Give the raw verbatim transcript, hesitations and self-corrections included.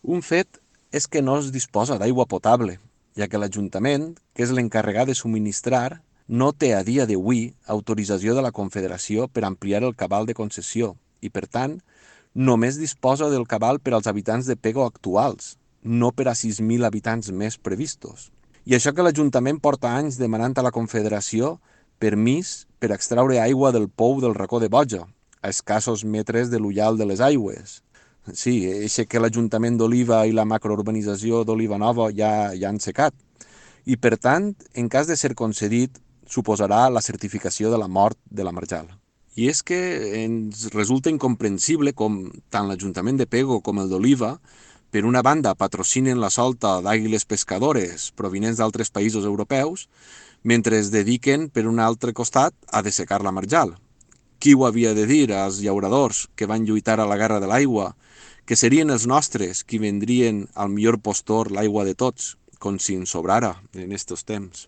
Un fet és que no es disposa d'aigua potable, ja que l'Ajuntament, que és l'encarregat de subministrar, no té a dia d'avui autorització de la Confederació per ampliar el cabal de concessió i, per tant, només disposa del cabal per als habitants de Pego actuals, no per a sis mil habitants més previstos. I això que l'Ajuntament porta anys demanant a la Confederació permís per extraure aigua del pou del racó de Boja, a escassos metres de l'ullal de les aigües. Sí, eixe que l'Ajuntament d'Oliva i la macrourbanització d'Oliva Nova ja, ja han secat. I, per tant, en cas de ser concedit, suposarà la certificació de la mort de la marjal. I és que ens resulta incomprensible com tant l'Ajuntament de Pego com el d'Oliva, per una banda, patrocinen la solta d'àguiles pescadores provinents d'altres països europeus, mentre es dediquen, per un altre costat, a dessecar la marjal. Qui ho havia de dir als llauradors que van lluitar a la guerra de l'aigua, que serien els nostres qui vendrien al millor postor l'aigua de tots, com si ens sobrara en estos temps?